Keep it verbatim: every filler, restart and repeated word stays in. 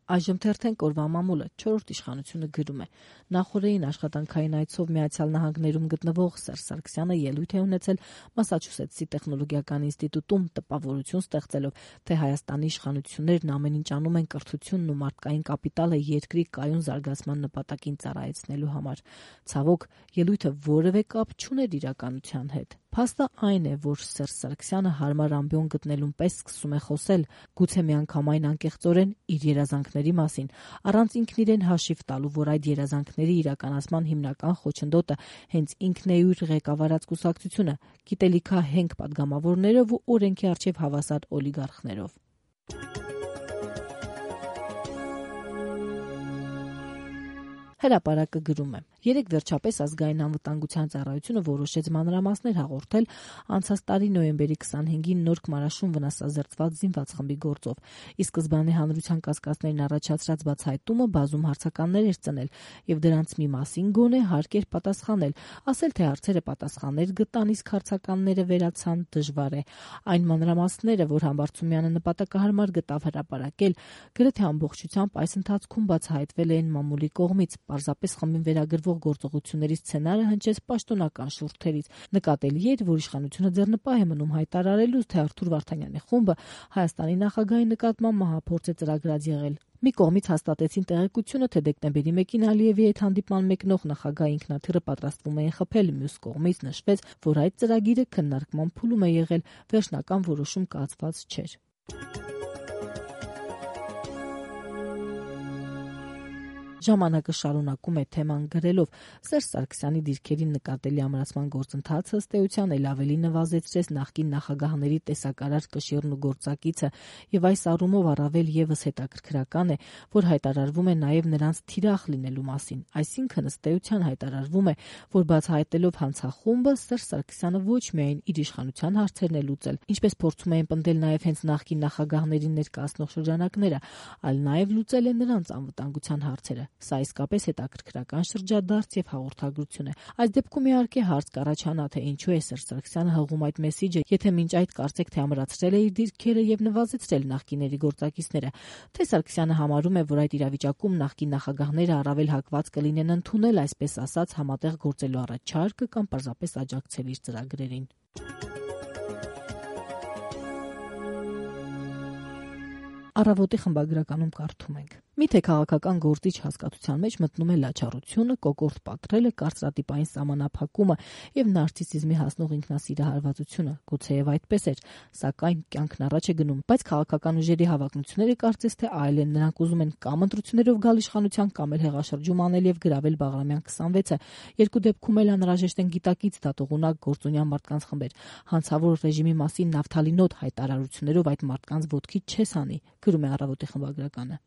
Այժմ թերթեն կորվա մամուլը չորրորդ իշխանությունը գրում է. նախորդին աշխատանքային այցով Միացյալ Նահանգներում գտնվող Սերժ Սարգսյանը ելույթ է ունեցել Մասաչուսեթսի տեխնոլոգիական ինստիտուտում, տպավորություն ստեղծելով, թե Հայաստանի իշխանություններն ամեն ինչ անում են կրթությունն ու մարդկային կապիտալը երկրի կայուն զարգացման նպատակին ծառայեցնելու համար։ Ցավոք, ելույթը որևէ կապ չուներ իրականության հետ։ Փաստը այն է, որ Սերժ Սարգսյանը հարմար ամբիոն գտնելուն պես սկսում է խոսել, գուցե միանգամայն անկեղծորեն իր երազանքների մասին, առանց ինքն իրեն հաշիվ տալու, որ այդ երազանքների իրականացման հիմնական խոչընդոտը հենց ինքն է իր ղեկավարած կուսակցությունը, գիտելիքահենք պատգամավորներով ու օրենքի առջև հավասար օլիգարխներով։ Հրապարակը գրում է. Երեկ վերջապես ազգային անվտանգության ծառայությունը որոշեց մանրամասներ հաղորդել անցած տարի նոյեմբերի քսանհինգին Նորք Մարաշում վնասազերծված զինված խմբի գործով։ Ի սկզբանե հանրության կասկածներն առաջացրած բացահայտումը բազում հարցականներ էր ծնել, եւ դրանց մի մասին գոնե հարկ էր պատասխանել, ասել թե հարցերը պատասխաններ գտան, իսկ հարցականները վերացան դժվար է։ Այն մանրամասները, որ Համբարձումյանը նպատակահարմար գտավ հրապարակել, գրեթե ամբողջությամբ այս ընթացքում բացահայտվել էին մամուլի կողմից։ Պարզապես խմբին վերագրվող գործողությունների սցենարը հնչեց պաշտոնական շուրթերից։ Նկատելի էր, որ իշխանությունը ձեռնպահ է մնում հայտարարելու, թե Արթուր Վարդանյանի խումբը Հայաստանի նախագահի նկատմամբ մահափորձ է ծրագրած եղել։ Մի կողմից հաստատեցին տեղեկությունը, թե դեկտեմբերի մեկին Ալիևի հետ հանդիպման մեկնող նախագահի ինքնաթիռը պատրաստվում էին խփել, մյուս կողմից նշվեց, որ այդ ծրագիրը քննարկման փուլում է եղել, վերջնական որոշում կայացված չէր։ Ժամանակը շարունակում է թեման գրելով. Սերժ Սարգսյանի դիրքերի նկատելի ամրացման գործընթացը ըստ էության էլ ավելի նվազեցրեց նախկին նախագահների տեսակարար կշիռն ու գործակիցը, եւ այս առումով առավել եւս հետաքրքրական է, որ հայտարարվում է նաեւ նրանց թիրախ լինելու մասին, այսինքն ըստ էության հայտարարվում է, որ բացահայտելով հանցախումբը Սերժ Սարգսյանը ոչ միայն իր իշխանության հարցերն է լուծել, ինչպես փորձում էին պնդել նաեւ հենց նախկին նախագահներին ներկայացնող շրջանակները, այլ նաեւ լուծել է նրանց անվտանգության հարցերը։ Սա իսկապես հետաքրքրական շրջադարձ եւ հաղորդագրություն է։ Այս դեպքում իհարկե հարց կառաջանա, թե ինչու է Սերժ Սարգսյանը հղում այդ մեսիջը, եթե մինչ այդ կարծեք թե ամրացրել է իր դիրքերը եւ նվազեցրել նախկիների գործակիցները, թե Սարգսյանը համարում է, որ այդ իրավիճակում նախկին նախագահները առավել հակված կլինեն ընդունել, այսպես ասած, համատեղ գործելու առաջարկը կամ պարզապես աջակցել իր ծրագրերին։ Առավոտի խմբագրականում կարդում ենք. Միթե քաղաքական գործիչ հասկացության մեջ մտնում է լաչառությունը, կոկորտ պատրելը, կարծրատիպային սահմանափակումը եւ նարցիսիզմի հասնող ինքնասիրահարվածությունը։ Գուցեև այդպես էր, սակայն կյանքն առաջ է գնում, բայց քաղաքական ուժերի հավակնությունները կարծես թե այլ են, նրանք ուզում են կամ ընտրություններով գալ իշխանության, կամ էլ հեղաշրջում անել եւ գրավել Բաղրամյան քսանվեցը։ Երկու դեպքում էլ անհրաժեշտ են գիտակից դատողունակ գործունյա մարդկանց խմբեր։ Հանցավոր ռեժիմի մասին նավթալինոտ հայտարարություններով այդ մարդկանց ոտքի չես հանի, գրում է Առավոտի խմբագրականը։